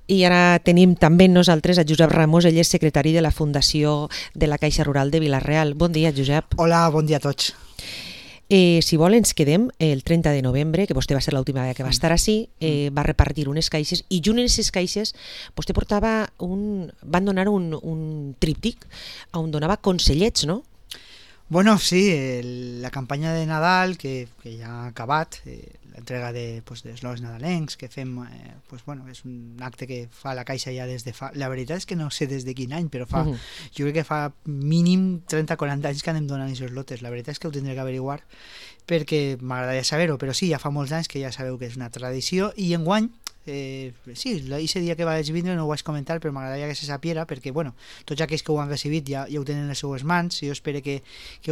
I ara tenim també nosaltres a Josep Ramos, ell és secretari de la Fundació de la Caixa Rural de Vila-real. Bon dia, Josep. Hola, bon dia a tots. Si vol, ens quedem el 30 de novembre, que vostè va ser l'última vegada que va estar ací, va repartir unes caixes, i junt en aquestes caixes vostè van donar un tríptic on donava consellets, no? Bueno, sí, la campanya de Nadal, que ja ha acabat, l'entrega d'eslògans nadalencs que fem, és un acte que fa la Caixa ja des de fa... La veritat és que no sé des de quin any, però jo crec que fa mínim 30-40 anys que anem donant aquests lotes. La veritat és que ho tindré que averiguar perquè m'agradaria saber-ho, però sí, ja fa molts anys que ja sabeu que és una tradició, i enguany sí, aquest dia que vaig vindre no ho vaig comentar, però m'agradaria que se sapiera perquè, tots aquells que ho han recibit ja ho tenen en les seues mans, i jo espero que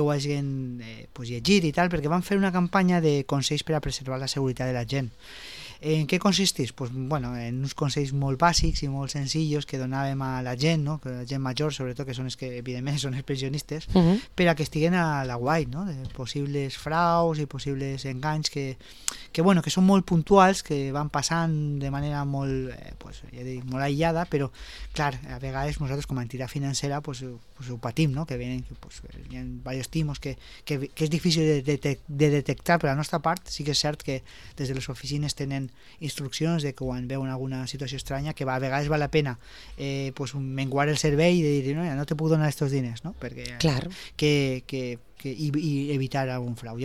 ho hagin llegit i tal, perquè van fer una campanya de consells per a preservar la seguretat de la gent. En què consistís? En uns consells molt bàsics i molt senzillos que donàvem a la gent, no? La gent major, sobretot, que són els que evidentment són els pensionistes, per a que estiguen a l'aguait, no? De possibles fraus i possibles enganys que són molt puntuals, que van passant de manera molt, molt aïllada, però clar, a vegades nosaltres com a entitat financera ho patim, no? Que venen, hi ha diversos timos que és difícil de detectar. Per la nostra part sí que és cert que des de les oficines tenen instruccions de que quan veuen alguna situació estranya, que a vegades val la pena menguar el servei i dir no te puc donar aquests diners, no? Perquè i evitar algun frau.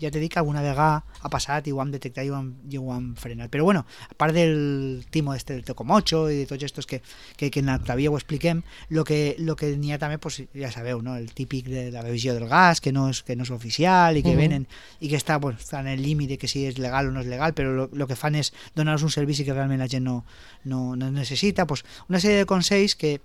Ja t'he dit que alguna vegada ha passat i ho hem detectat i ho hem frenat. Però a part del timo del Tocomocho i de tots estos que en l'Octavia ho expliquem, el que n'hi ha també, ja sabeu, no? El típic de la revisió del gas, que no és oficial i que venen i que està en el límit de que si és legal o no és legal, però el que fan és donar-nos un servici que realment la gent no necessita. Una sèrie de consells que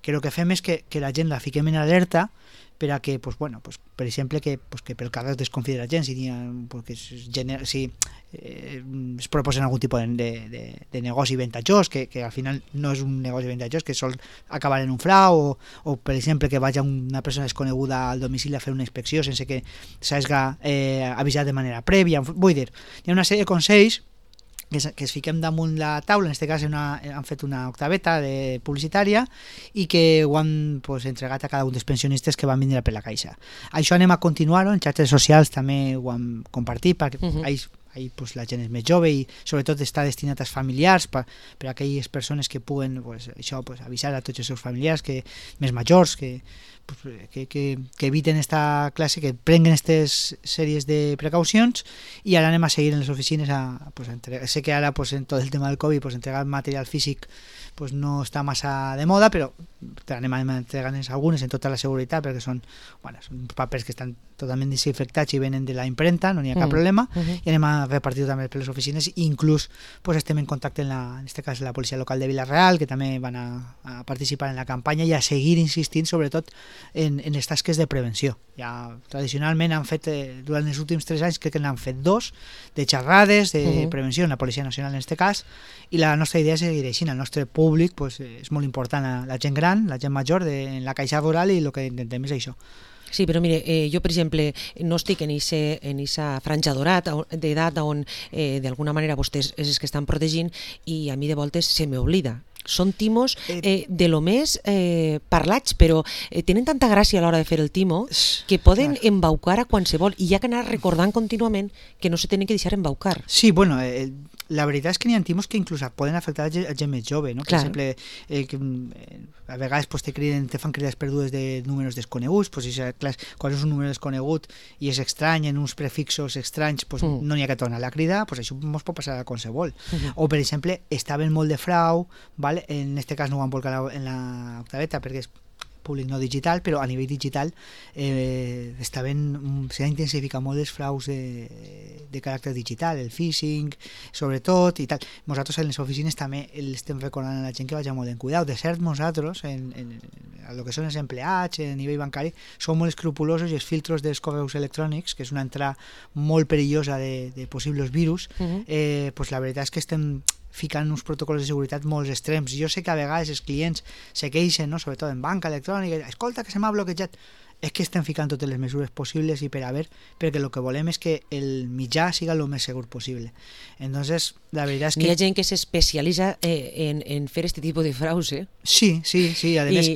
el que fem és que la gent la fiquem en alerta per a que, per exemple, que pel carrer es desconfia de la gent si es proposen algun tipus de negoci ventajós, que al final no és un negoci ventajós, que sol acabar en un frau, o per exemple que vagi una persona desconeguda al domicili a fer una inspecció sense que s'hagi avisat de manera prèvia. Vull dir, hi ha una sèrie de consells que es fiquem damunt la taula. En aquest cas han fet una octaveta publicitària i que ho han entregat a cada un dels pensionistes que van vindre per la Caixa. Això anem a continuar-ho, en xarxes socials també ho hem compartit, perquè la gent és més jove i sobretot està destinat als familiars, per a aquelles persones que puguen avisar a tots els seus familiars més majors que eviten esta classe, que prenguen aquestes sèries de precaucions. I ara anem a seguir en les oficines sé que ara en tot el tema del Covid entregar material físic no està massa de moda, però anem a entregar-ne algunes en tota la seguretat, perquè són papers que estan totalment desinfectats i venen de la impremta, no n'hi ha cap problema, i anem a repartir també per les oficines, i inclús estem en contacte en aquest cas la policia local de Vila-real, que també van a participar en la campanya i a seguir insistint sobretot en les tasques de prevenció. Ja tradicionalment han fet, durant els últims 3 anys crec que n'han fet 2 de xerrades de prevenció en la Policia Nacional en aquest cas, i la nostra idea és seguir així. El nostre públic és molt important, la gent gran, la gent major en la Caixa Rural, i el que intentem és això. Sí, però mire, jo per exemple no estic en aquesta franja d'edat on d'alguna manera vostès és els que estan protegint, i a mi de voltes se m'oblida. Són timos de lo més parlats, però tenen tanta gràcia a l'hora de fer el timo que poden embaucar a qualsevol, i hi ha que anar recordant contínuament que no se tenen que deixar embaucar. Sí, la veritat és que n'hi ha timos que inclús poden afectar a gent més jove, no? Per exemple, a vegades te fan crides perdudes de números desconeguts, quan és un número desconegut i és estrany, en uns prefixos estranys, no n'hi ha que tornar la crida, això ens pot passar a qualsevol. O, per exemple, estaven molt de frau, en aquest cas no ho han volcat en l'octaveta perquè és públic no digital, però a nivell digital s'ha intensificat molt els fraus de caràcter digital, el phishing, sobretot, i tal. Nosaltres en les oficines també estem recordant a la gent que vagi molt en cuidado. De cert, nosaltres, en el que són els empleats, a nivell bancari, som molt escrupulosos, i els filtros dels correus electrònics, que és una entrada molt perillosa de possibles virus, la veritat és que estem ficant uns protocols de seguretat molt extrems. Jo sé que a vegades els clients se queixen, no? Sobretot en banca electrònica, escolta que se m'ha bloquejat. és que estem ficant totes les mesures possibles i perquè el que volem és que el mitjà siga el més segur possible. Entonces, la veritat és que... Hi ha gent que s'especialitza en fer este tipus de fraus, eh? Sí. A més,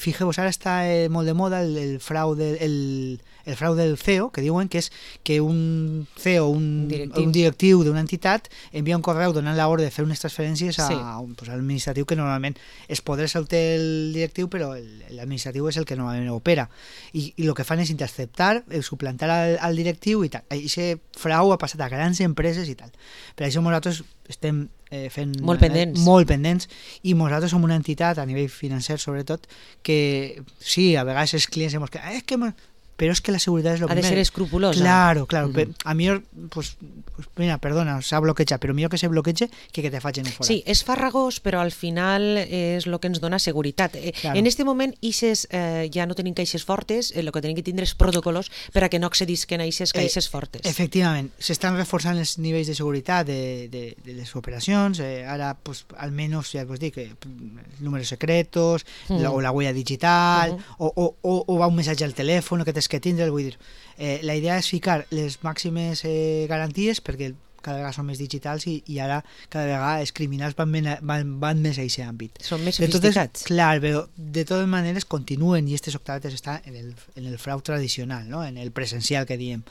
fijeu-vos, ara està molt de moda el frau del CEO, que diuen que és que un CEO, un directiu d'una entitat envia un correu donant l'ordre de fer unes transferències a l'administratiu, que normalment els poders el té el directiu, però l'administratiu és el que normalment opera. I el que fan és interceptar, suplantar al directiu i tal. Aquest frau ha passat a grans empreses i tal. Per això nosaltres estem fent molt pendents i nosaltres som una entitat a nivell financer sobretot que sí, a vegades els clients hem dit però és que la seguretat és lo primer. Ha de ser escrupulosa. Claro. A millor, pues mira, perdona, s'ha bloquejat, però millor que se bloqueja que te facin fora. Sí, és farragós, però al final és el que ens dona seguretat. Claro. En este moment, ja no tenim caixes fortes, el que tenim que tindre és protocols per a que no accedisquen a aquestes caixes fortes. Efectivament, s'estan reforçant els nivells de seguretat de les operacions, ara, pues, almenys, ja vos dic, números secretos, o la huella digital, o va un missatge al telèfon, que tens que tindre, vull dir, la idea és ficar les màximes garanties perquè cada vegada són més digitals i ara cada vegada els criminals van més a aquest àmbit. Són més sofisticats. Clar, però de totes maneres continuen i aquestes octavetes estan en el frau tradicional, no? En el presencial que diem.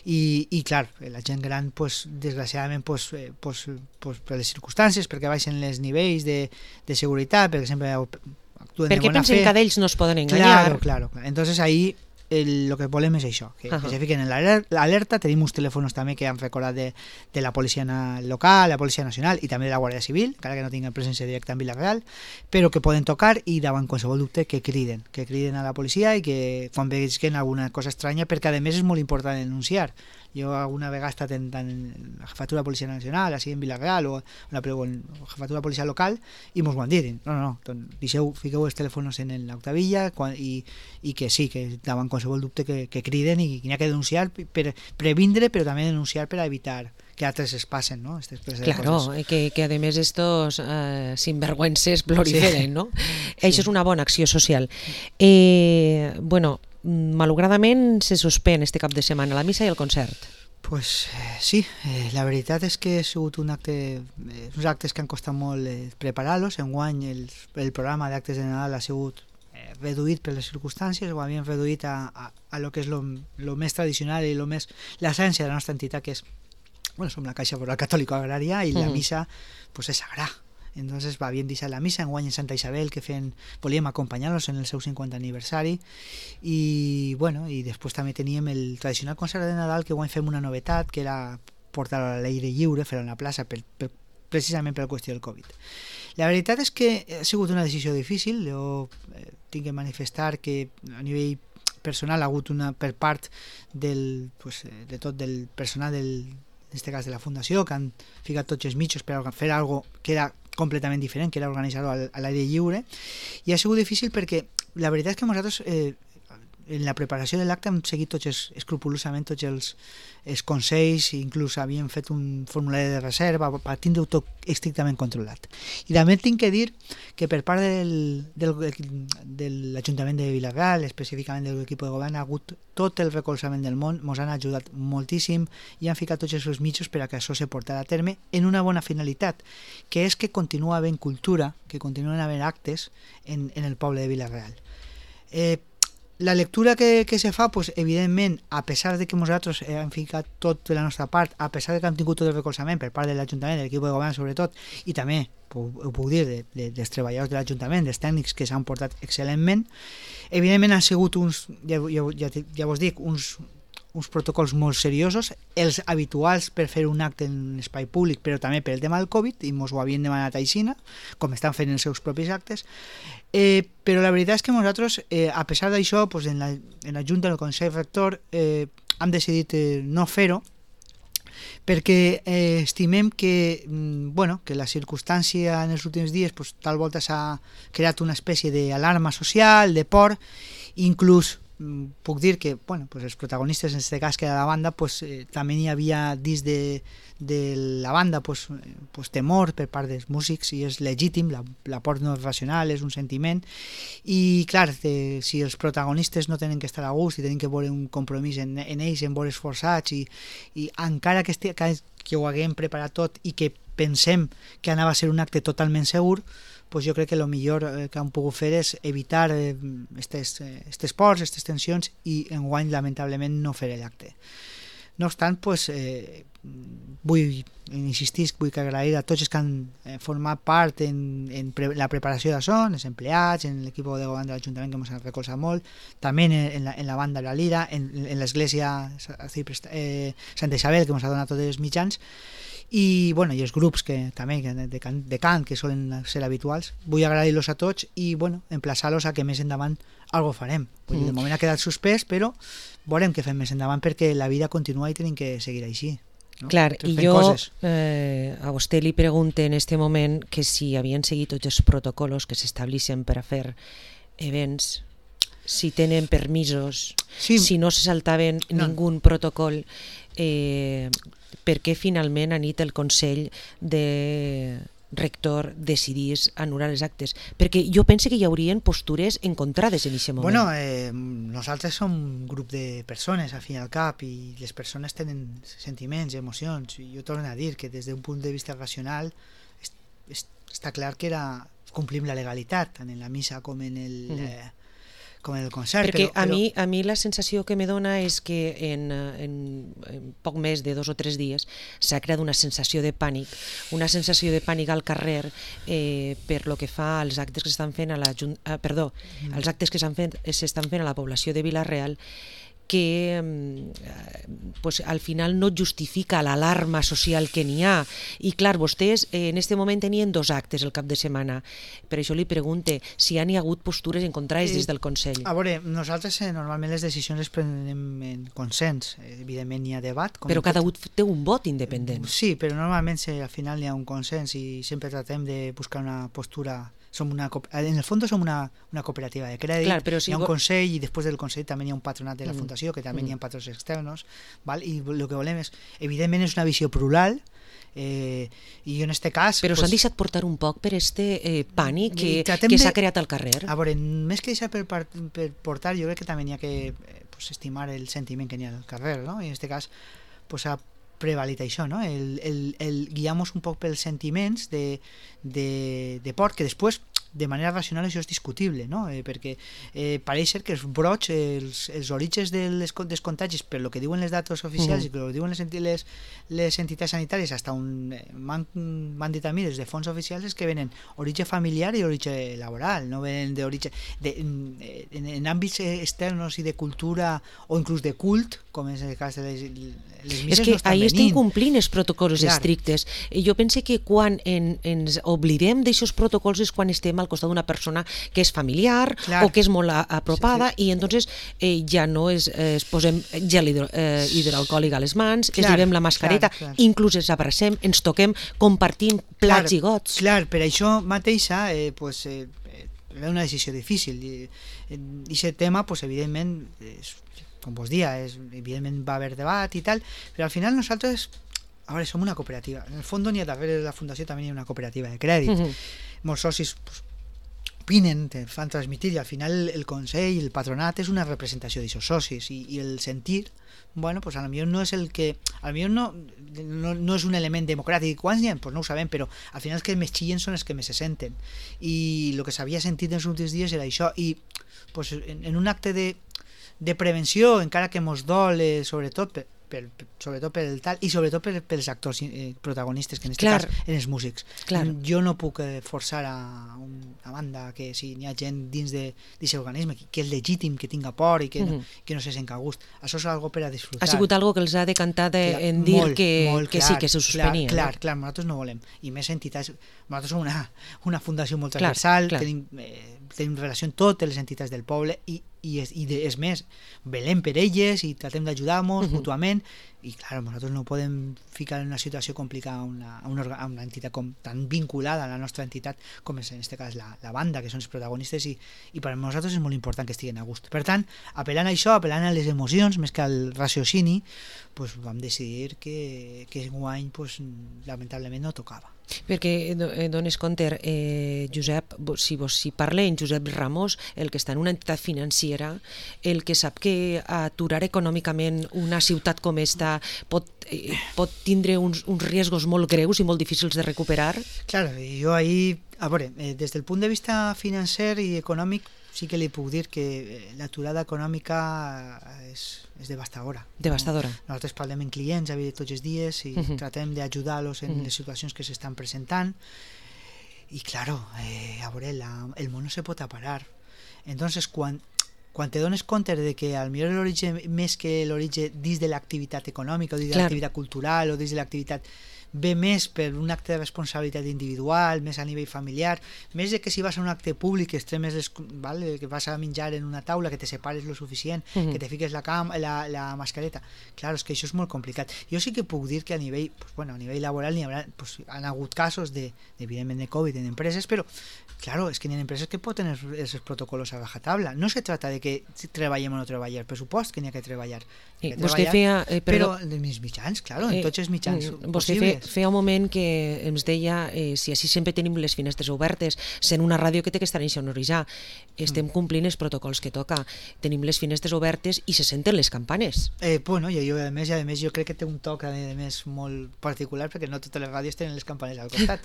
I clar, la gent gran, pues, desgraciadament, per les circumstàncies, perquè baixen els nivells de seguretat, perquè sempre actuen de bona fe. Perquè pensen que d'ells no es poden enganyar. Claro. Entonces ahí el que volem és això, que se fiquen en l'alerta. Tenim uns telèfons també que han recordat de la policia local, la policia nacional i també de la Guàrdia Civil, encara que no tinguin presència directa en Vila-real, però que poden tocar i davant qualsevol dubte que criden a la policia i que quan vegin alguna cosa estranya, perquè a més és molt important denunciar. Jo alguna vegada he estat en la jefatura de policia nacional, així en Vila-real, o en la jefatura de policia local, i mos ho han dit. No, fiqueu els telèfons en l'octavilla i que sí, que davant qualsevol dubte que criden i n'hi ha que denunciar per previndre, però també denunciar per evitar que altres es passen, ¿no? Claro, que a més estos sinvergüences proliferen, ¿no? Sí. Això és una bona acció social. Bueno, malauradament se suspèn este cap de setmana la missa i el concert. Pues sí, la veritat és que ha sigut uns actes que han costat molt preparar-los. Enguany el programa d'actes de Nadal ha sigut reduït per les circumstàncies, ho havíem reduït a lo que és lo més tradicional i l'essència de la nostra entitat, que és, som la Caixa Foral Catòlica Agrària i la missa pues és sagrada. Entonces havíem deixat la missa enguany en Santa Isabel, que volíem acompanyar-los en el seu 50 aniversari i després també teníem el tradicional concert de Nadal, que enguany fem una novetat, que era portar-lo a l'aire lliure, fer-ho en la plaça precisament per la qüestió del Covid. La veritat és que ha sigut una decisió difícil. Jo tinc que manifestar que a nivell personal ha hagut per part de tot del personal en aquest cas de la Fundació, que han ficat tots els mitjos per fer alguna cosa que era completament diferent, que era organitzar-ho a l'aire lliure, i ha sigut difícil perquè la veritat és que nosaltres en la preparació de l'acte hem seguit escrupulosament tots els consells, inclús havíem fet un formulari de reserva per tindre-ho tot estrictament controlat. I també tinc que dir que per part de l'Ajuntament de Vila-real, específicament de l'equip de govern, ha hagut tot el recolzament del món, ens han ajudat moltíssim i han ficat tots els seus mitjos per a que això se portarà a terme en una bona finalitat, que és que continua havent cultura, que continuen havent actes en el poble de Vila-real. La lectura que se fa, pues, evidentment, a pesar de que nosaltres hem ficat tot de la nostra part, a pesar de que hem tingut tot el recolzament per part de l'Ajuntament, de l'equip de govern sobretot, i també, ho puc dir, dels treballadors de l'Ajuntament, dels tècnics que s'han portat excel·lentment, evidentment han sigut ja vos dic, uns protocols molt seriosos, els habituals per fer un acte en espai públic, però també per el tema del Covid, i ens ho havien demanat a Aixina, com estan fent els seus propis actes, però la veritat és que nosaltres, a pesar d'això, en la Junta del Consell Rector hem decidit no fer-ho, perquè estimem que la circumstància en els últims dies tal volta s'ha creat una espècie d'alarma social, de por, inclús puc dir que bueno, pues els protagonistes, en aquest cas que era la banda, pues, també hi havia dins de la banda pues, temor per part dels músics, i és legítim, la por no és racional, és un sentiment, i clar, si els protagonistes no tenen que estar a gust i tenen que veure un compromís en ells, en veure's forçats, i encara que ho haguem preparat tot i que pensem que anava a ser un acte totalment segur, pues jo crec que el millor que hem pogut fer és evitar aquestes pors, aquestes tensions, i enguany lamentablement no fer l'acte. No obstant, pues, vull agrair a tots els que han format part en la preparació d'això, els empleats, en l'equip de govern de l'Ajuntament que ens ha recolzat molt, també en la banda de la Lira, en l'església Santa Isabel, que ens ha donat tots els mitjans, i els grups que també de cant que solen ser habituals. Vull agrair-los a tots i emplaçar-los a que més endavant algo farem. De moment ha quedat suspès, però veurem què fem més endavant, perquè la vida continua i tenim que seguir així. No? Clar, i jo a vostè li pregunto en este moment que si havien seguit tots els protocols que s'estableixen per a fer events, si tenen permisos, si no se saltaven ningú protocol, perquè finalment a nit el Consell de Rector decidís anul·lar els actes, perquè jo penso que hi haurien postures encontrades en aquest moment. Nosaltres som un grup de persones al fin i al cap, i les persones tenen sentiments, emocions, i jo torno a dir que des d'un punt de vista racional està clar que complim la legalitat tant en la missa com en el concert. Perquè a mi la sensació que me dona és que en poc més de 2 o 3 dies s'ha creat una sensació de pànic al carrer per lo que fa als actes que s'estan fent als actes que s'estan fent a la població de Vila-real, que al final no justifica l'alarma social que n'hi ha. I clar, vostès en aquest moment tenien 2 actes el cap de setmana. Per això li pregunte si hi ha hagut postures encontrades des del Consell. A veure, nosaltres normalment les decisions les prenem en consens. Evidentment hi ha debat. Però cada un té un vot independent. Sí, però normalment al final hi ha un consens i sempre tratem de buscar una postura. En el fons som una cooperativa de crèdit. Clar, hi ha un consell, i després del consell també hi ha un patronat de la fundació, que també hi ha patrons externs, i el que volem és, evidentment, és una visió plural, i en aquest cas... Però s'han deixat portar un poc per este pànic que s'ha creat al carrer. A veure, més que deixar per portar, jo crec que també hi ha que estimar el sentiment que hi ha al carrer, no? I en aquest cas s'ha prevalit això, no? El guiar-nos un poc pels sentiments de por, que després de manera racional això és discutible, no? Perquè pareix ser que els brots, els orígens dels contagis, per lo que diuen les dates oficials i per lo que diuen les entitats sanitàries, fins on m'han dit a mi des de fons oficials, és que venen origen familiar i origen laboral, no venen d'origen en àmbits externs i de cultura o inclús de cult, com és el cas de les misses. És que ahir estem complint els protocols estrictes. Jo penso que quan ens oblidem d'aixòs protocols és quan estem al costat d'una persona que és familiar o que és molt apropada, i entonces ja no es posem gel hidroalcohòlic a les mans, ens llevem la mascareta, inclús ens abracem, ens toquem, compartim plats i gots. Clar, per això mateixa era una decisió difícil, i aquest tema evidentment, com vos dia, evidentment va haver debat i tal, però al final nosaltres som una cooperativa. En el fons n'hi ha darrere de la fundació també hi ha una cooperativa de crèdit. Molts socis opinen, fan transmitir, i al final el Consell, el patronat és una representació d'aquests socis, i el sentir, a lo millor no és el que, a lo millor no és un element democràtic. Quants n'hi ha? No ho sabem, però al final els que més xillen són els que més se senten, i el que s'havia sentit en els últims dies era això, i en un acte de prevenció, encara que mos dol, sobretot per el tal, i sobretot pels actors protagonistes, que en aquest cas eren els músics. Jo no puc forçar a una banda que si n'hi ha gent dins d'aquest organisme que és legítim que tinga por i que no se sent a gust. Això és algo per a disfrutar. Ha sigut algo que els ha decantat en dir que sí, que se suspenia. Clar, nosaltres no volem. I més entitats, nosaltres som una fundació molt transversal, tenim relació amb totes les entitats del poble, i és més, velem per elles i tratem d'ajudar-nos mútuament, i clar, nosaltres no podem ficar en una situació complicada a una entitat tan vinculada a la nostra entitat com és en aquest cas la banda, que són els protagonistes, i per a nosaltres és molt important que estiguen a gust. Per tant, apel·lant a això, apel·lant a les emocions més que al raciocini, pues, vam decidir que enguany pues, lamentablement no tocava. Perquè dones compte, Josep, si parla en Josep Ramos, el que està en una entitat financera, el que sap que aturar econòmicament una ciutat com esta pot tindre uns riscos molt greus i molt difícils de recuperar? Claro, jo ahí, a veure, des del punt de vista financer i econòmic, sí que li puc dir que l'aturada econòmica és devastadora. Devastadora. Nosaltres parlem amb clients tots els dies i tratem d'ajudar-los en les situacions que s'estan presentant i claro, a veure, el món no se pot parar. Entonces, quan te dones compte de que al millor l'origen, més que l'origen dins de l'activitat econòmica o dins de l'activitat cultural o dins de l'activitat ve més per un acte de responsabilitat individual, més a nivell familiar, més de que si vas a un acte públic que vas a menjar en una taula, que te separes lo suficient, que te fiques la mascareta. Clar, és que això és molt complicat. Jo sí que puc dir que a nivell laboral han hagut casos evidentment de Covid en empreses, però claro, és que hi ha empreses que poden tenir els protocols a rajatabla. No se trata de que treballem o no treballem, per supost que n'hi ha que treballar. Però els mitjans, claro, en tots els mitjans possibles. Feia un moment que ens deia si així sempre tenim les finestres obertes, sent una ràdio que té que estar insonoritzar, estem complint els protocols que toca, tenim les finestres obertes i se senten les campanes. Bueno, a més jo crec que té un toc a més molt particular perquè no totes les ràdios tenen les campanes al costat.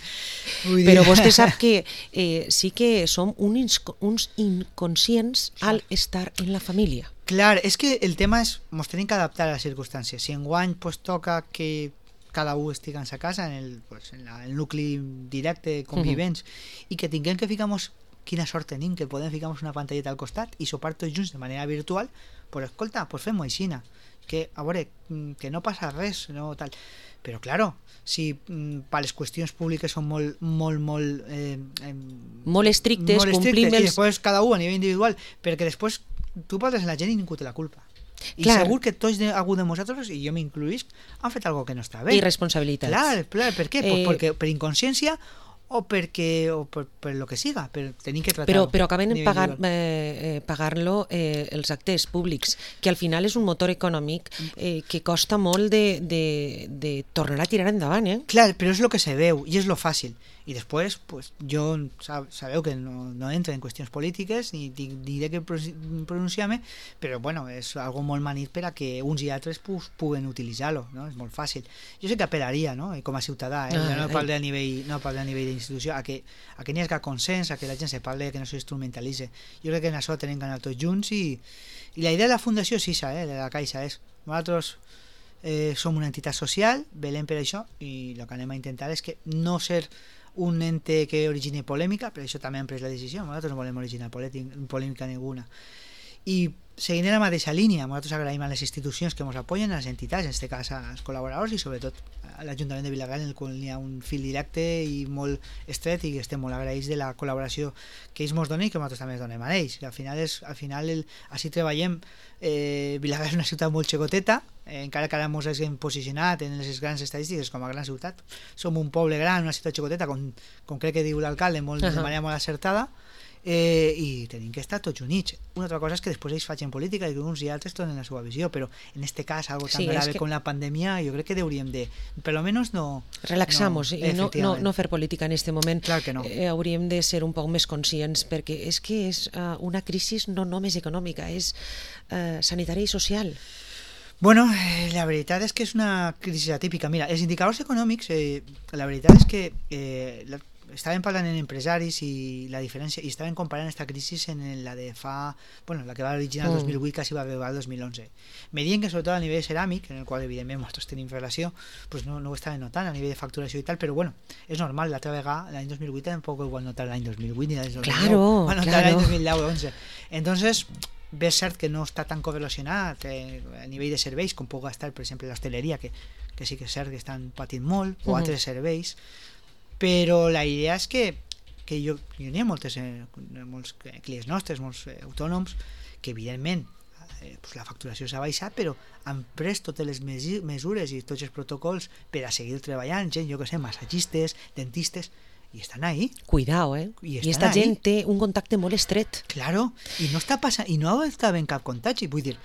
Però vostè sap que sí que som uns inconscients al estar en la família. Clar, és que el tema és ens tenim que adaptar a les circumstàncies. Si enguany toca que cada un estigui en sa casa, en el nucli directe, convivents, i que tinguem que ficar-nos, quina sort tenim, que podem ficar-nos una pantalleta al costat i sopar tots junts de manera virtual, pues escolta, pues fem-ho aixina. Que, a veure, que no passa res, no tal. Però, claro, si per les qüestions públiques són molt estrictes, complim i després cada un a nivell individual, perquè després tu parles amb la gent i ningú té la culpa. I segur que tots algú de nosaltres, i jo m'incluïsc, han fet alguna que no està bé. Irresponsabilitats. Clar, per què? Perquè per inconsciència o per lo que siga, per tenir que tratar-ho. Però acaben pagar-lo els actes públics, que al final és un motor econòmic que costa molt de tornar a tirar endavant. Clar, però és el que se veu i és lo fàcil. I després, pues, jo sabeu que no entro en qüestions polítiques ni diré que pronunciar-me, però bueno, és algo molt manit per a que uns i altres puguen utilitzar-lo, no? És molt fàcil. Jo sé que apel·laria, no? Com a ciutadà, no parlo a nivell d'institució, a que n'hi hagi consens, a que la gent se parli, que no s'instrumentalitzi. Jo crec que en això tenim que anar tots junts i la idea de la fundació és això, de la Caixa, és nosaltres som una entitat social, velem per això, i el que anem a intentar és que no ser un ente que origini polèmica, per això també hem pres la decisió, nosaltres no volem originar polèmica ninguna. I seguint en la mateixa línia, nosaltres agraïm a les institucions que ens apoyen, a les entitats, en aquest cas als col·laboradors i sobretot a l'Ajuntament de Vilagrana, en el qual hi ha un fil directe i molt estret i que estem molt agraïts de la col·laboració que ells ens donen i que nosaltres també ens donem a ells. Al final així treballem. Vilagrana és una ciutat molt xicoteta, encara que ara ens hem posicionat en les grans estadístiques com a gran ciutat. Som un poble gran, una ciutat xicoteta, com crec que diu l'alcalde, de manera molt acertada, i tenim que estar tots units. Una altra cosa és que després ells facin política i que uns i altres donen la seva visió, però en este cas, algo tan grave com la pandèmia, jo crec que hauríem de, per lo menos no... Relaxar-nos i no fer política en este moment. Clar que no. Hauríem de ser un poc més conscients, perquè és que és una crisi no només econòmica, és sanitària i social. Bueno, la veritat és que és una crisi atípica. Mira, els indicadors econòmics, la veritat és que estàvem parlant amb empresaris i la diferència, i estàvem comparant aquesta crisi en la de la que va originar el 2008 quasi va arribar el 2011. Me diuen que sobretot a nivell ceràmic, en el qual evidentment nosaltres tenim relació, pues no ho estàvem notant a nivell de facturació i tal, però bueno, és normal, l'altra vegada l'any 2008 tampoc ho van notar l'any 2008 ni l'any 2009, van notar l'any 2010-11. Entonces, bé, és cert que no està tan correlacionat a nivell de serveis com pugui estar, per exemple, l'hostaleria, que sí que és cert que estan patint molt, o altres serveis, però la idea és que jo n'hi ha molts clients nostres, molts autònoms, que evidentment pues la facturació s'ha baixat, però han pres totes les mesures i tots els protocols per a seguir treballant, gent, jo que sé, massatgistes, dentistes, i estan ahí. Cuidao, I esta gent té un contacte molt estret. Claro, i no està passant, i no està havent cap contagi, vull dir,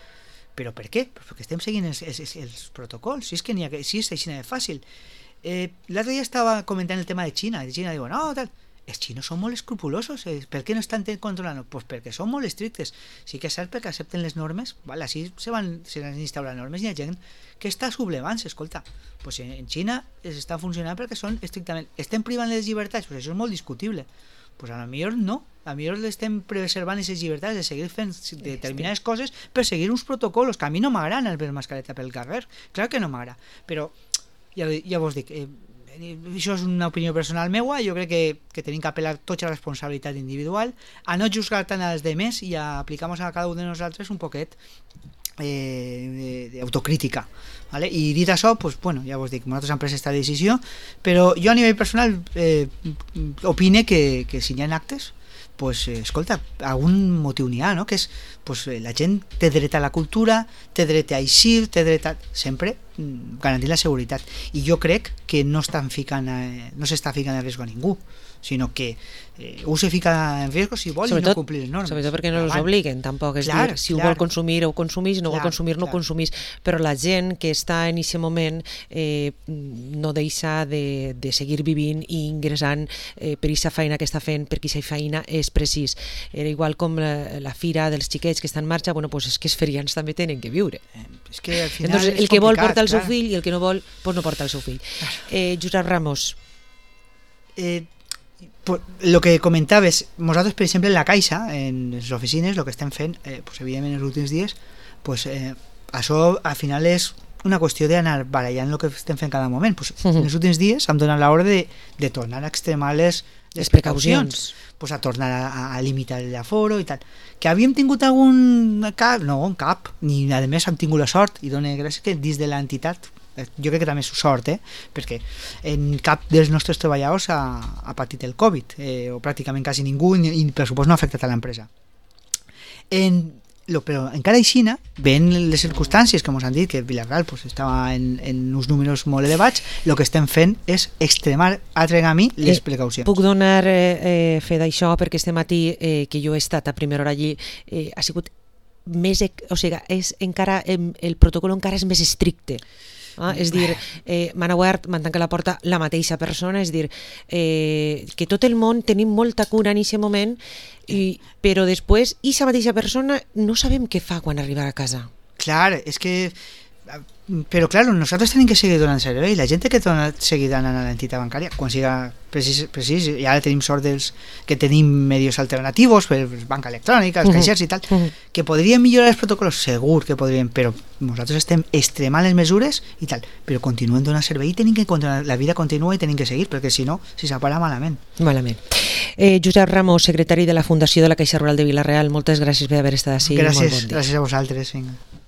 però per què? Perquè estem seguint els protocols, si és que si és així de fàcil. L'altre dia estava comentant el tema de Xina, diu, no, tal, els xinos són molt escrupulosos, per què no estan controlant? Pues perquè són molt estrictes. Sí que és cert perquè accepten les normes, vale, així se van instaurar normes, i hi ha gent que està sublevant-se, escolta, pues en Xina està funcionant perquè són estrictament, estem privant les llibertats, pues això és molt discutible, pues a lo millor no, a lo millor estem preservant aquestes llibertats de seguir fent determinades coses per seguir uns protocols, que a mi no m'agraden el ver mascareta pel carrer, clar que no m'agrada, però ja vos dic, això és una opinió personal meua, jo crec que tenim que apel·lar tota la responsabilitat individual, a no juzgar tant als demés i a aplicar a cada un de nosaltres un poquet d'autocrítica, ¿vale? I dit això, pues, bueno, ja vos dic, nosaltres hem pres aquesta decisió, però jo a nivell personal opine que si hi ha actes, pues, escolta, algun motiu n'hi ha, no? Que és, pues, la gent té dret a la cultura, té dret a eixir, té dret a... sempre garantir la seguretat, i jo crec que no s'està ficant en risc a ningú, sinó que se fica en risc si vol i no complir les normes. Sobretot perquè no els obliguen, tampoc, és dir, si ho vol consumir ho consumís, no vol consumir no ho consumís, però la gent que està en aquest moment no deixa de seguir vivint i ingressant per aquesta feina que està fent, perquè aquesta feina és precís. Era igual com la fira dels xiquets que està en marxa, bueno, pues és que els ferians també tenen que viure. És que al final entonces, el que vol porta el seu fill i el que no vol, pues no porta el seu fill. Josep Ramos. Lo que comentaves, nosaltres, per exemple, en la Caixa, en les oficines, el que estem fent, pues, evidentment, en els últims dies, pues, això al final és una qüestió d'anar barallant el que estem fent cada moment. Pues, en els últims dies hem donat l'ordre de tornar a extremar les precaucions, pues, a tornar a limitar l'aforo i tal. Que havíem tingut algun cap? No, cap. Ni a més hem tingut la sort, i dono gràcies que dins de l'entitat, jo crec que també és sort, perquè en cap dels nostres treballadors ha patit el Covid, o pràcticament quasi ningú, i per supost no ha afectat a l'empresa. Però encara així, ven les circumstàncies que ens han dit que Vila-real pues, estava en uns números molt elevats, el que estem fent és extremar altre camí les precaucions. Puc donar fe d'això perquè este matí que jo he estat a primera hora allí ha sigut més, o sigui, el protocol encara és més estricte. És dir, m'han obert, m'han tancat la porta la mateixa persona, és dir, que tot el món tenim molta cura en aquest moment, però després, aquesta mateixa persona no sabem què fa quan arriba a casa. Clar, és que... Però, clar, nosaltres tenim que seguir donant servei. La gent que seguir donant a l'entitat bancària, quan siga precís, i ara tenim sort que tenim medios alternatius, per banca electrònica, els caixers i tal, que podrien millorar els protocols, segur que podrien, però nosaltres estem extremant les mesures i tal, però continuen donant servei i tenim que continuar, la vida continua i tenim que seguir, perquè si no, si s'apara malament. Malament. Josep Ramos, secretari de la Fundació de la Caixa Rural de Vila-real, moltes gràcies per haver estat així. Gràcies, gràcies a vosaltres. Vinga.